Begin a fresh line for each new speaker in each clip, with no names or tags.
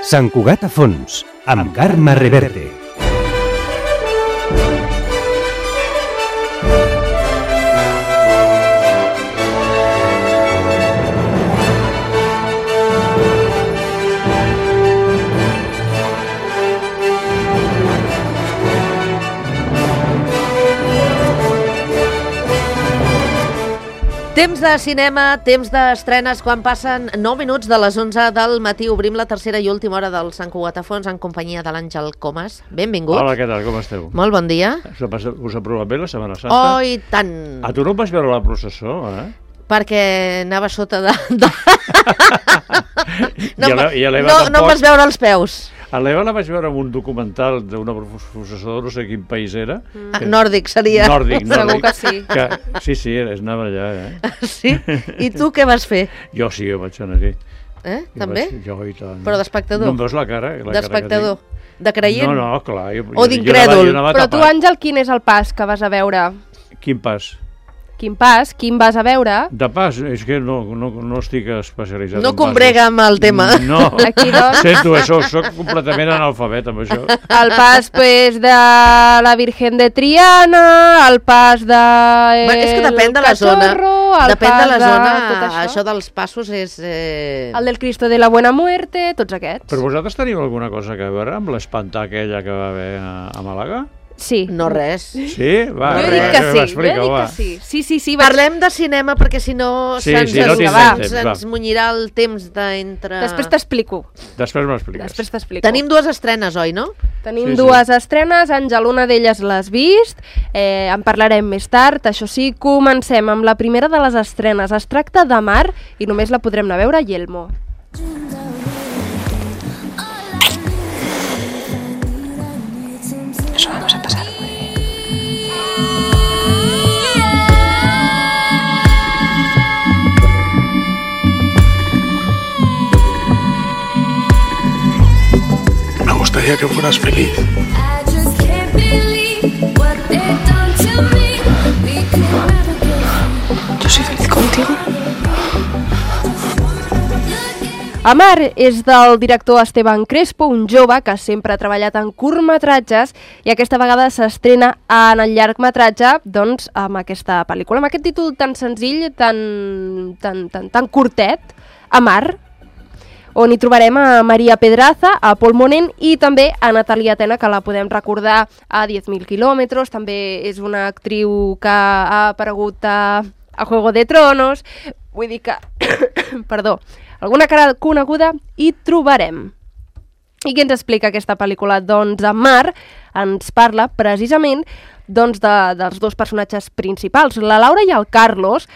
Sant Cugat a fons, amb Carme Reverte.
Temps de cinema, temps d'estrenes, quan passen 9 minuts de les 11 del matí. Obrim la tercera i última hora del Sant Cugat a fons en companyia de l'Àngel Comas. Benvingut.
Hola, què tal? Com esteu?
Molt bon dia.
Us ha provat bé la Setmana Santa?
Oh, i tant.
A tu no em vas veure la processó, eh?
Perquè anava sota de...
No
em vas veure els peus.
A l'Eva la vaig veure en un documental d'una processó de no sé quin país era.
Nòrdic seria.
Nòrdic.
Segur que sí.
Sí, anava allà, eh?
Sí? I tu què vas fer?
Jo sí, jo vaig anar aquí.
També?
Jo i tant.
Però d'espectador?
No em veus la cara?
D'espectador? De creient?
No, clar.
O d'incrèdul?
Però tu, Àngel, quin és el pas que vas a veure?
Quin pas?
Quin vas a veure?
De pas, és que no estic especialitzat.
No combrega amb el tema.
No,
aquí, doncs...
sento, soc completament analfabet amb això.
El pas, pues, de la Virgen de Triana, el pas de...
És que depèn de la zona. Depèn de la zona, això dels passos és...
El del Cristo de la Buena Muerte, tots aquests.
Però vosaltres teniu alguna cosa a veure amb l'espantar aquella que va haver a Màlaga?
Sí.
No res.
Sí? Va,
jo dic que sí. Sí.
Parlem de cinema perquè si no se'ns munyirà el temps d'entre...
Després t'explico.
Després m'expliques.
Tenim dues estrenes, oi, no?
Tenim dues estrenes, Àngel, una d'elles l'has vist, en parlarem més tard. Això sí, comencem amb la primera de les estrenes. Es tracta de Mar i només la podrem anar a veure a Yelmo.
Eso vamos a pasar.
Me gustaría que fueras feliz.
Yo soy feliz contigo.
Amar és del director Esteban Crespo, un jove que sempre ha treballat en curtmetratges i aquesta vegada s'estrena en el llargmetratge, doncs, amb aquesta pel·lícula, amb aquest títol tan senzill, tan curtet, Amar, on hi trobarem a Maria Pedraza, a Pol Monén i també a Natalia Tena, que la podem recordar a 10.000 quilòmetres, també és una actriu que ha aparegut a Juego de Tronos, vull dir que... Perdó, alguna cara coneguda hi trobarem. I què ens explica aquesta pel·lícula? Doncs Amar ens parla precisament dels dos personatges principals, la Laura i el Carlos,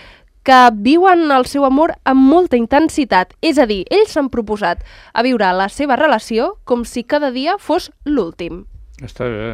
que viuen el seu amor amb molta intensitat. És a dir, ells s'han proposat a viure la seva relació com si cada dia fos l'últim.
Està bé.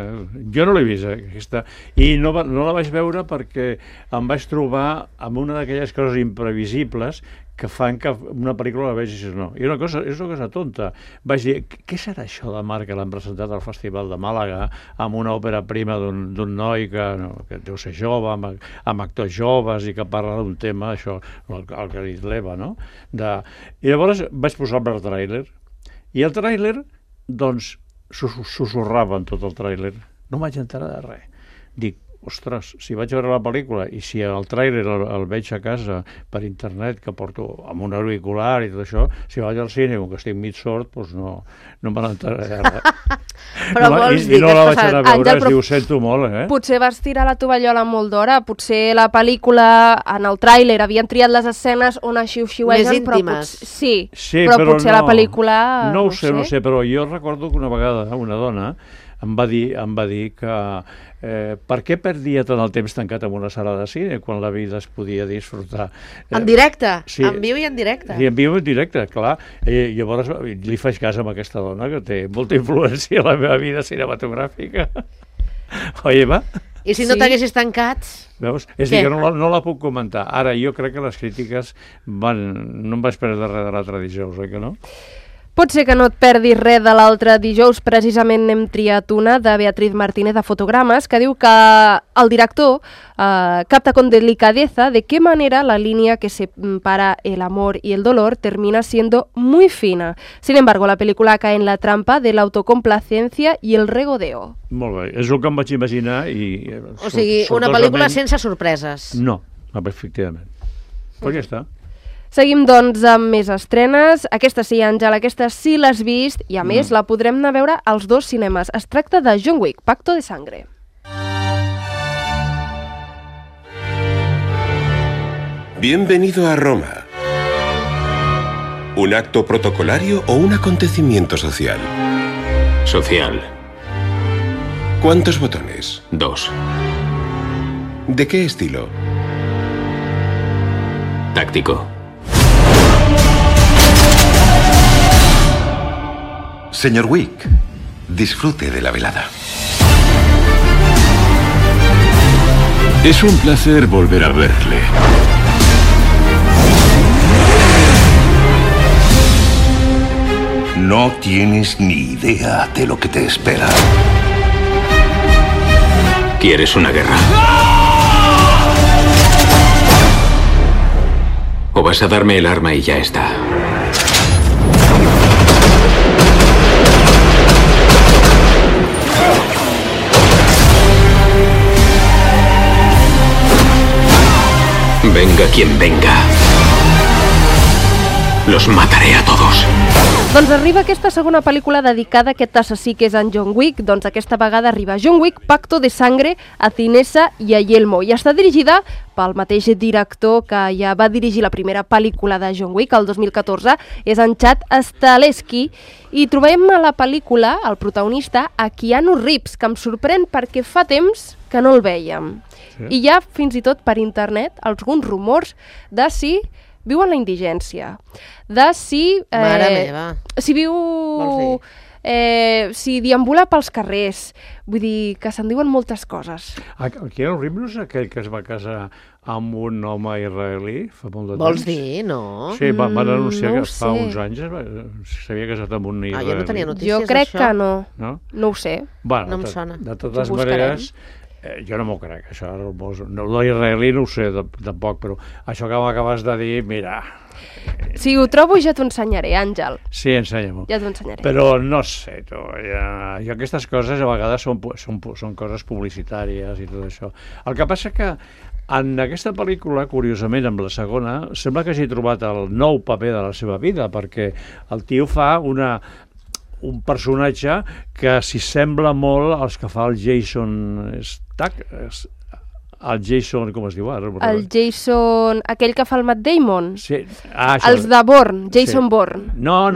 Jo no l'he vist, aquesta. I no la vaig veure perquè em vaig trobar amb una d'aquelles coses imprevisibles que fan que una pel·lícula la vegis no. I és una cosa tonta. Vaig dir, què serà això de Mar que l'han presentat al Festival de Màlaga amb una òpera prima d'un noi que deu ser jove, amb actors joves i que parla d'un tema, això, el que ha dit l'Eva, no? I llavors vaig posar-me el tràiler. I el tràiler, doncs, susurrava en tot el tràiler. No vaig enterar de res. Dic, ostres, si vaig veure la pel·lícula i si el tràiler el veig a casa per internet, que porto amb un auricular i tot això, si vaig al cine com que estic mig sord, doncs no me n'entraré de res.
Però vols dir
que no la vaig anar a veure,
Àngel,
es diu, sento molt,
Potser vas tirar la tovallola molt d'hora, potser la pel·lícula, en el tràiler, havien triat les escenes on xiu-xiuegen,
més íntimes.
Però potser la pel·lícula...
No ho sé, però jo recordo que una vegada una dona em va dir que per què perdia tant el temps tancat en una sala de cine quan la vida es podia disfrutar?
En directe?
Sí.
En viu i en directe?
Sí, en viu i en directe, clar. Llavors li faig cas amb aquesta dona que té molta influència a la meva vida cinematogràfica. Oi, Eva?
I si no t'haguessis tancat?
Veus? És dir, que no la puc comentar. Ara, jo crec que les crítiques no em vaig perdre res de l'altre dijous, oi que no?
Pot ser que no et perdis res de l'altre dijous, precisament n'hem triat una de Beatriz Martínez de Fotogrames, que diu que el director capta con delicadeza de qué manera la línea que separa el amor y el dolor termina siendo muy fina. Sin embargo, la película cae en la trampa de la autocomplacencia y el regodeo.
Molt bé, és el que em vaig imaginar i...
O sigui, una pel·lícula sense sorpreses.
No, efectivament. Pues ja està.
Seguim, doncs, amb més estrenes. Aquesta sí, Àngel, aquesta sí l'has vist i, a més, la podrem anar a veure als 2 cinemes. Es tracta de John Wick, Pacto de Sangre.
Bienvenido a Roma. ¿Un acto protocolario o un acontecimiento social?
Social.
¿Cuántos botones?
2.
¿De qué estilo?
Táctico.
Señor Wick, disfrute de la velada.
Es un placer volver a verle.
No tienes ni idea de lo que te espera.
¿Quieres una guerra? ¿O vas a darme el arma y ya está? Venga quien venga. Los mataré a todos.
Doncs arriba aquesta segona pel·lícula dedicada a aquest assassí que és en John Wick. Doncs aquesta vegada arriba John Wick, Pacto de Sangre, a Cinesa i a Yelmo. I està dirigida pel mateix director que ja va dirigir la primera pel·lícula de John Wick, el 2014, és en Chad Stahelski. I trobem a la pel·lícula, el protagonista, a Keanu Reeves, que em sorprèn perquè fa temps que no el vèiem. Sí. I hi ha, fins i tot per internet, alguns rumors de si viu en la indigència, de si...
Mare meva.
Si viu... si deambula pels carrers. Vull dir que se'n diuen moltes coses.
El Keanu Reeves no és aquell que es va casar amb un home israelí fa molt de temps?
Vols dir, no?
Sí, van anunciar
no
que fa uns anys s'havia casat amb un israelí.
Jo no tenia notícies
Jo crec
d'això.
que no.
No?
No ho sé.
Bueno,
no em sona.
De totes maneres, jo no m'ho crec, això. L'israelí no ho sé, tampoc, però això que m'acabes de dir, mira...
Si ho trobo ja t'ho ensenyaré, Àngel.
Sí, ensenya-m'ho.
Ja t'ho ensenyaré.
Però no sé, jo aquestes coses a vegades són coses publicitàries i tot això. El que passa que en aquesta pel·lícula, curiosament, amb la segona, sembla que hagi trobat el nou paper de la seva vida, perquè el tio fa un personatge que s'hi sembla molt als que fa el Jason Statham. El Jason, com es diu ara?
El Jason, aquell que fa el Matt Damon?
Sí.
Els de Bourne, Jason Bourne.
No,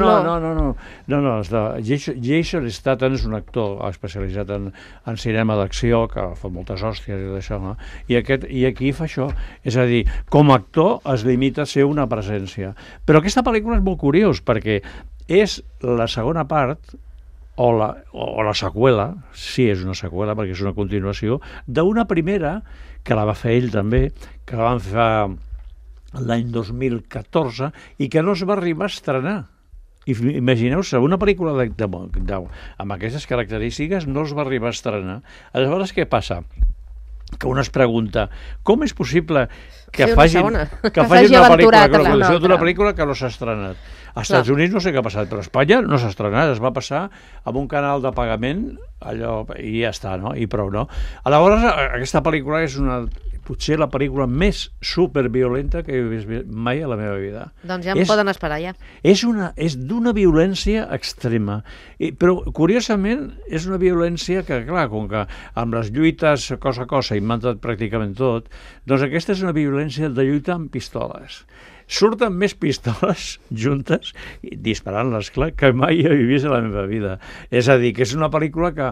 Jason Statham és un actor especialitzat en cinema d'acció, que fa moltes hòsties i d'això, no? I aquí fa això. És a dir, com a actor es limita a ser una presència. Però aquesta pel·lícula és molt curiós, perquè és la segona part, o la seqüela, sí, és una seqüela perquè és una continuació, d'una primera, que la va fer ell també, que la van fer l'any 2014 i que no es va arribar a estrenar. Imagineu-se, una pel·lícula amb aquestes característiques no es va arribar a estrenar. Aleshores, què passa? Que un es pregunta, com és possible que facin una pel·lícula d'una pel·lícula que no s'ha estrenat? Als Estats Units no sé què ha passat, però a Espanya no s'ha estrenat, es va passar amb un canal de pagament, allò, i ja està, no? I prou, no? Aleshores, aquesta pel·lícula és potser la pel·lícula més superviolenta que he vist mai a la meva vida.
Doncs ja em poden esperar, ja.
És d'una violència extrema, però curiosament és una violència que, clar, com que amb les lluites cosa a cosa i matat pràcticament tot, doncs aquesta és una violència de lluita amb pistoles. Surten més pistoles juntes, disparant-les, clar, que mai he vist a la meva vida. És a dir, que és una pel·lícula que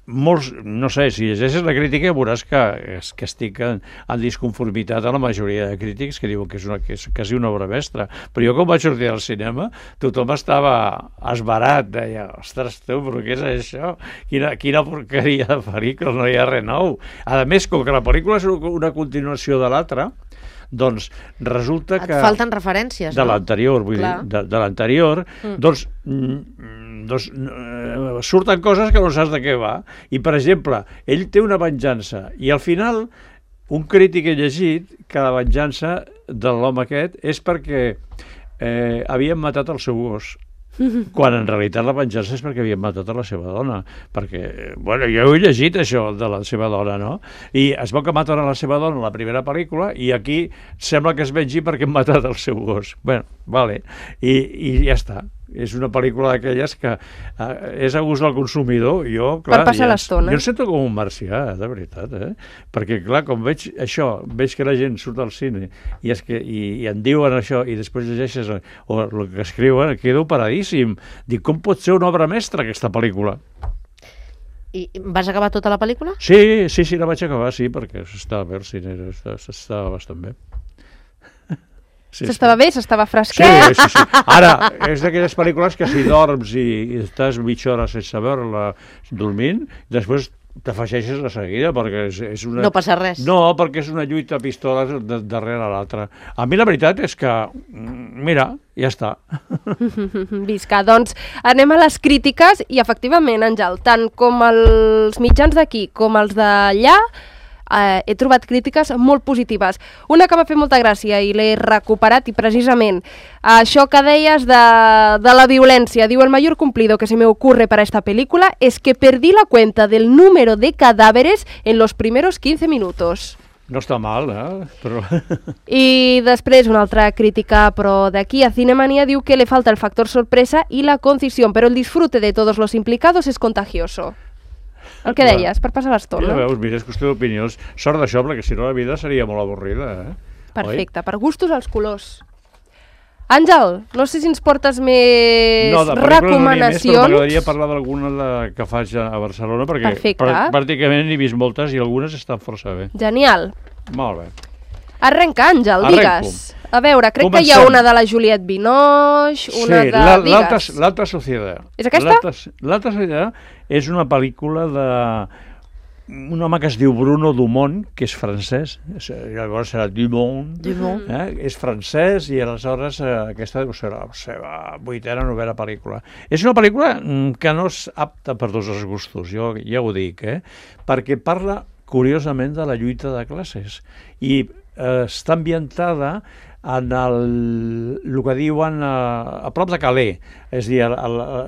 molts, no sé, si llegeixes la crítica veuràs que estic en disconformitat a la majoria de crítics que diuen que és quasi una obra mestra, però jo quan vaig sortir al cinema tothom estava esverat, deia, ostres tu, però què és això? Quina porqueria de pel·lícula, no hi ha res nou. A més, com que la pel·lícula és una continuació de l'altra, Doncs resulta que...
Et falten referències,
de l'anterior, vull dir, de l'anterior, doncs surten coses que no saps de què va. I, per exemple, ell té una venjança i al final un crític ha llegit que la venjança de l'home aquest és perquè havien matat el seu gos, quan en realitat la venjança és perquè havien matat a la seva dona, perquè, bueno, jo he llegit això de la seva dona, no? I es veu que maten a la seva dona a la primera pel·lícula i aquí sembla que es vengi perquè han matat el seu gos. Bueno, vale, i ja està. És una pel·lícula d'aquelles que és a gust del consumidor. Jo, clar,
per passar l'estona.
Jo em sento com un marcià, de veritat, perquè, clar, com veig això, veig que la gent surt al cine i en diuen això i després llegeixes o el que escriuen, quedo paradíssim. Dic, com pot ser una obra mestra aquesta pel·lícula?
I vas acabar tota la pel·lícula?
Sí, la vaig acabar, sí, perquè s'estava bé al cine, s'estava bastant bé.
S'estava bé, s'estava fresquet.
Sí. Ara, és d'aquelles pel·lícules que si dorms i estàs mitja hora sense veure-la dormint, després t'afegeixes de seguida, perquè és una...
No passa res.
No, perquè és una lluita a pistoles darrere l'altra. A mi la veritat és que, mira, ja està.
Visca, doncs anem a les crítiques i efectivament, Àngel, tant com els mitjans d'aquí com els d'allà, he trobat crítiques molt positives. Una que m'ha fet molta gràcia i l'he recuperat i precisament això que deies de la violència. Diu, el mayor cumplido que se me ocurre para esta película es que perdí la cuenta del número de cadáveres en los primeros 15 minutos.
No està mal, Però...
I després una altra crítica, però d'aquí a Cinemanía, diu que le falta el factor sorpresa y la concisión, pero el disfrute de todos los implicados es contagioso. El que deies, per passar l'estona.
Ja veus, mira, és qüestió d'opinions. Sort d'això, perquè si no la vida seria molt avorrida,
Perfecte, per gustos els colors. Àngel, no sé si ens portes més recomanacions.
Però m'agradaria parlar d'alguna que faig a Barcelona, perquè pràcticament n'he vist moltes i algunes estan força bé.
Genial.
Molt bé.
Arrenca, Àngel, digues. A veure, crec que hi ha una de la Juliette Binoche, una de...
Digues. L'Alta Societat.
És aquesta?
L'Alta Societat és una pel·lícula d'un home que es diu Bruno Dumont, que és francès, llavors serà Dumont, és francès i aleshores aquesta deu ser la seva 8ª, 9ª pel·lícula. És una pel·lícula que no és apta per tots els gustos, jo ja ho dic, perquè parla curiosament de la lluita de classes i està ambientada en el que diuen a prop de Calais, és a dir,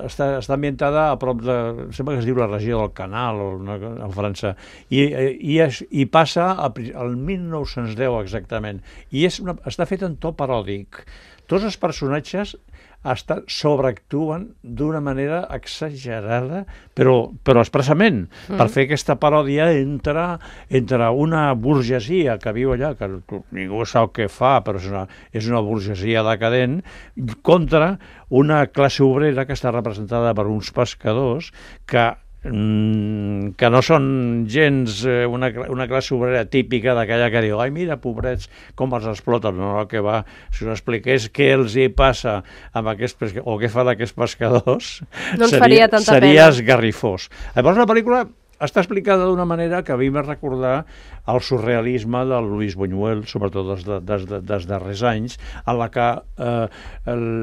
està ambientada a prop de, sembla que es diu la regió del Canal a França, i passa al 1910 exactament, i està fet en to paròdic. Tots els personatges sobreactuen d'una manera exagerada, però expressament, per fer aquesta paròdia entre una burgesia que viu allà, que ningú sap què fa, però és una burgesia decadent, contra una classe obrera que està representada per uns pescadors que no són gens una classe obrera típica d'aquella que diu, ai, mira, pobrets, com els exploten. No, el que va, si us expliqués què els hi passa amb aquests pescadors, o què fan aquests pescadors,
no
seria esgarrifós. Llavors, la pel·lícula està explicada d'una manera que a mi m'ha recordar el surrealisme de Luis Buñuel, sobretot dels darrers anys, en la que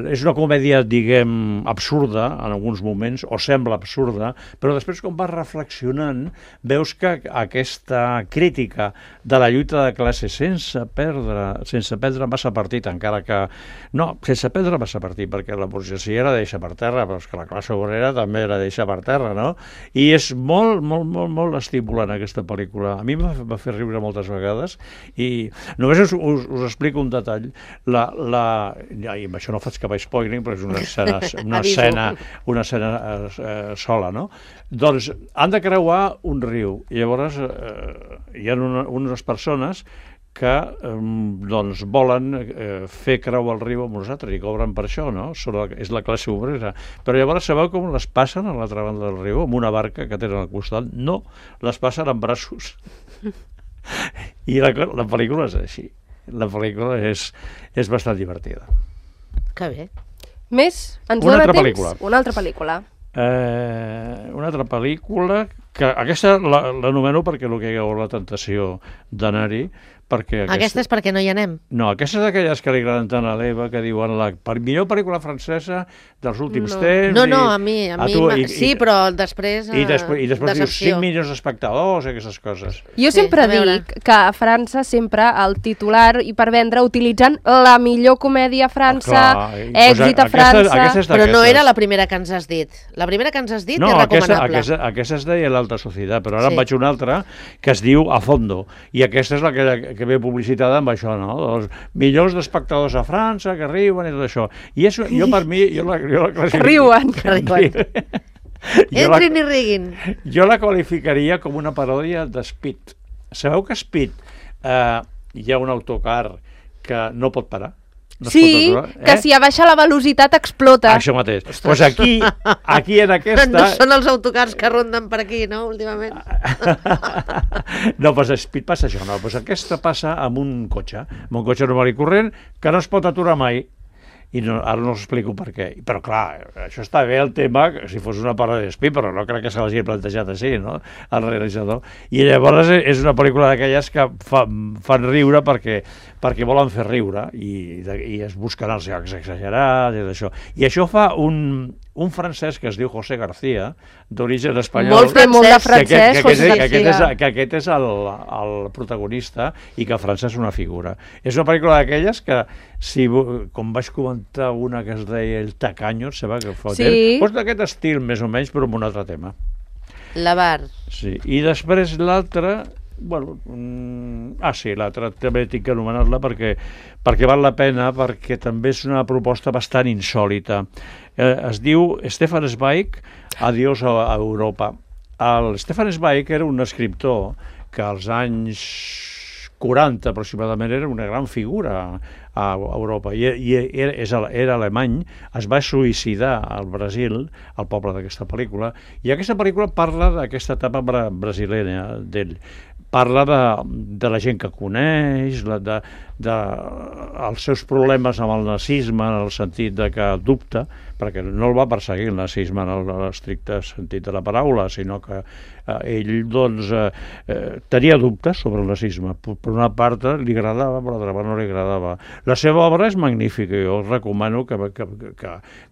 és una comèdia, diguem, absurda en alguns moments, o sembla absurda, però després, quan vas reflexionant, veus que aquesta crítica de la lluita de classe sense perdre massa partit, encara que... No, sense perdre massa partit, perquè la burgesia la deixa per terra, però és que la classe obrera també la deixa per terra, no? I és molt, molt, molt estimulant aquesta pel·lícula. A mi em va fer riure moltes vegades i només us explico un detall. I amb això no faig cap spoiling, però és una escena sola, no? Doncs han de creuar un riu i llavors hi ha unes persones que volen fer creuar el riu amb nosaltres i cobren per això, no? És la classe obrera. Però llavors sabeu com les passen a l'altra banda del riu, amb una barca que tenen al costat? No, les passen amb braços. I la pel·lícula és així. La pel·lícula és bastant divertida.
Que bé.
Més? Ens dona temps? Una altra pel·lícula.
Una altra pel·lícula que aquesta l'anomeno perquè el que hi ha la tentació d'anar-hi, perquè...
Aquesta és perquè no hi anem.
No, aquesta és d'aquelles que li agraden tant a l'Eva, que diuen la millor pel·lícula francesa dels últims temps...
No, a mi sí, però després
I després dius
decepció.
5 milions d'espectadors, aquestes coses.
Jo sempre dic que a França sempre el titular i per vendre utilitzen la millor comèdia a França, èxit a França...
Però no era la primera que ens has dit. La primera que ens has dit és recomanable.
Aquesta es deia l'Alta Societat, però ara en vaig una altra que es diu A Fondo, i aquesta és la que ve publicitada amb això, no? Els millors d'espectadors a França, que riuen i tot això. I això, jo per mi, jo la
Riuen.
Entrin i riguin.
Jo la qualificaria com una paròdia de Speed. Sabeu que Speed hi ha un autocar que no pot parar? No
sí, que si abaixa la velocitat explota.
Això mateix. Doncs aquí en aquesta...
No són els autocars que ronden per aquí, no, últimament?
No, doncs a Speed passa això, no. Doncs aquesta passa amb un cotxe normal i corrent que no es pot aturar mai. I ara no us explico per què. Però clar, això està bé el tema, si fos una paròdia d'Speed, però no crec que se l'hagi plantejat així, no?, el realitzador. I llavors és una pel·lícula d'aquelles que fan riure perquè volen fer riure i es busquen els llocs exagerats i d'això. I això fa un francès que es diu José García, d'origen espanyol.
Molt de francès, José García.
Que aquest és el protagonista i que a França és una figura. És una pel·lícula d'aquelles que, com vaig comentar una que es deia El Tacaño, doncs d'aquest estil, més o menys, però amb un altre tema.
La Bar.
Sí, i després l'altra... l'altra també tinc que anomenar-la perquè val la pena, perquè també és una proposta bastant insòlita. Es diu Stefan Zweig, Adiós a Europa. El Stefan Zweig era un escriptor que als anys 40 aproximadament era una gran figura a Europa i era alemany, es va suïcidar al Brasil, al poble d'aquesta pel·lícula, i aquesta pel·lícula parla d'aquesta etapa brasilenya d'ell. Parla de la gent que coneix, dels seus problemes amb el nazisme, en el sentit de que dubta, perquè no el va perseguir el nazisme en l'estricte sentit de la paraula, sinó que ell tenia dubtes sobre el nazisme. Per una part li agradava, per l'altra part no li agradava. La seva obra és magnífica, jo us recomano que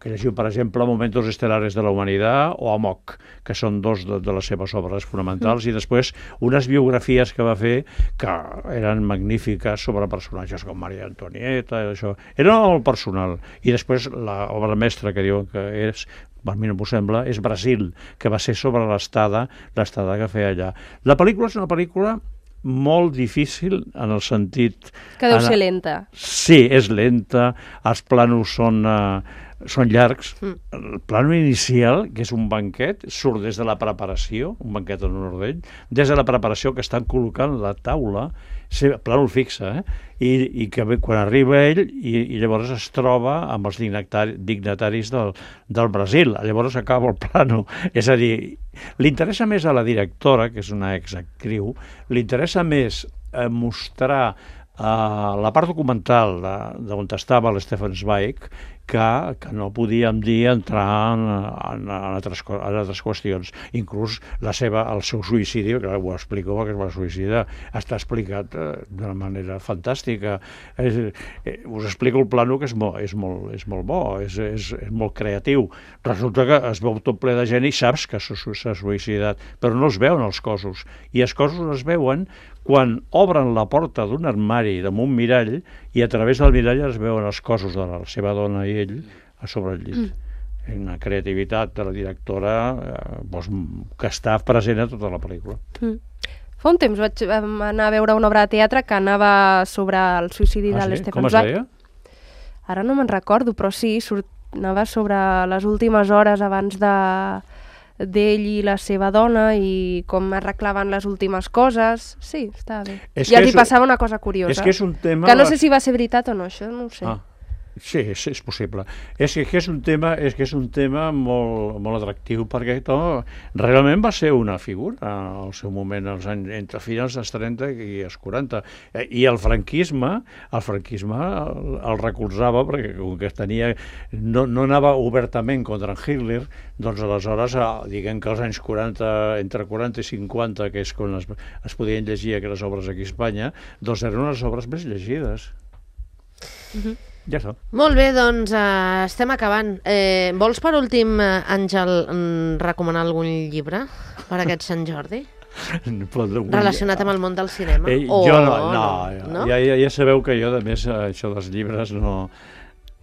llegiu, per exemple, Momentos Estelares de la Humanitat o Amok, que són dos de les seves obres fonamentals, i després unes biografies que va fer que eren magnífiques sobre personatges com Maria Antonieta i això. Era molt personal. I després l'obra mestra que diuen que és, a mi no m'ho sembla, és Brasil, que va ser sobre l'estada que feia allà. La pel·lícula és una pel·lícula molt difícil en el sentit...
Que deu ser lenta.
Sí, és lenta, els plànols són llargs. El plànol inicial, que és un banquet, surt des de la preparació, un banquet en honor d'ell, des de la preparació que estan col·locant la taula, plànol fixe, i que quan arriba ell i llavors es troba amb els dignataris del Brasil. Llavors acaba el plànol. És a dir, li interessa més a la directora, que és una exactriu, li interessa més mostrar la part documental d'on estava l'Stefan Zweig que no podíem dir entrar en altres qüestions. Inclús el seu suïcidi, que ho explico perquè es va suïcidar, està explicat d'una manera fantàstica. Us explico el plano, que és molt bo, és molt creatiu. Resulta que es veu tot ple de gent i saps que s'ha suïcidat, però no es veuen els cossos. I els cossos es veuen quan obren la porta d'un armari damunt un mirall i a través del mirall es veuen els cossos de la seva dona i ell a sobre el llit. Una creativitat de la directora que està present a tota la pel·lícula.
Fa un temps vaig anar a veure una obra de teatre que anava sobre el suïcidi de l'Stefan Zweig.
Com es deia?
Ara no me'n recordo, però sí, anava sobre les últimes hores abans d'ell i la seva dona i com arreglaven les últimes coses. Sí, està bé. I els hi passava una cosa curiosa.
És que és un tema...
Que no sé si va ser veritat o no, això no ho sé.
Sí, és possible. És que és un tema molt atractiu, perquè realment va ser una figura al seu moment, entre finals dels 30 i els 40. I el franquisme el recolzava, perquè com que no anava obertament contra Hitler, doncs aleshores, diguem que als anys 40, entre 40 i 50, que és quan es podien llegir aquelles obres aquí a Espanya, doncs eren les obres més llegides. Ja està.
Molt bé, doncs estem acabant. Vols per últim, Àngel, recomanar algun llibre per aquest Sant Jordi? Relacionat amb el món del cinema?
Jo no. Ja sabeu que jo, a més, això dels llibres no...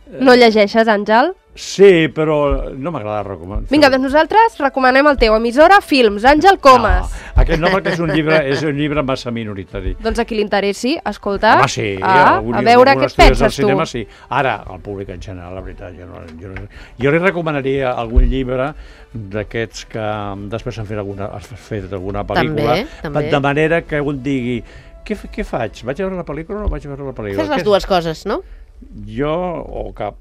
No llegeixes, Àngel?
Sí, però no m'agrada recomanar.
Vinga, doncs nosaltres recomanem el teu emissora Films, Àngel Comas.
No, aquest no, perquè és un llibre massa minoritari.
Doncs a qui li interessi, escolta,
home, sí,
a veure què et penses tu.
Cinema, sí. Ara, al públic en general, la veritat, jo li recomanaria algun llibre d'aquests que després s'han fet alguna pel·lícula,
també.
De manera que un digui, què faig? Vaig a veure la pel·lícula o no vaig a veure la pel·lícula?
Fes les dues coses, no?
Jo o cap.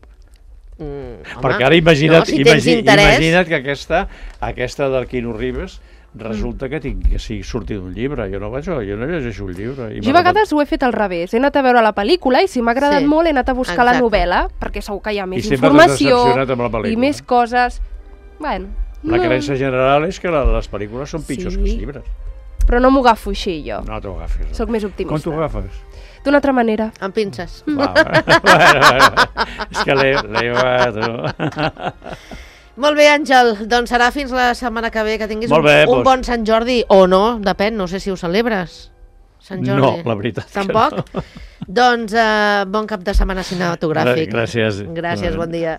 Perquè ara imagina't que aquesta del Keanu Reeves resulta que sigui sortit d'un llibre. Jo no llegeixo un llibre.
Jo a vegades ho he fet al revés. He anat a veure la pel·lícula i si m'ha agradat molt he anat a buscar la novel·la, perquè segur que hi ha més informació i més coses. Bueno,
la creença general és que les pel·lícules són pitjors que els llibres.
Però no m'ho agafo així, jo.
No t'ho agafis.
Soc més optimista.
Com t'ho agafes?
D'una altra manera.
Amb pinces.
És que l'he tu.
Molt bé, Àngel. Doncs serà fins la setmana que ve, que tinguis un bon Sant Jordi. O no, depèn, no sé si ho celebres. Sant Jordi.
No, la veritat.
Tampoc? No. Doncs bon cap de setmana cinematogràfic.
Gràcies.
Gràcies, bon dia.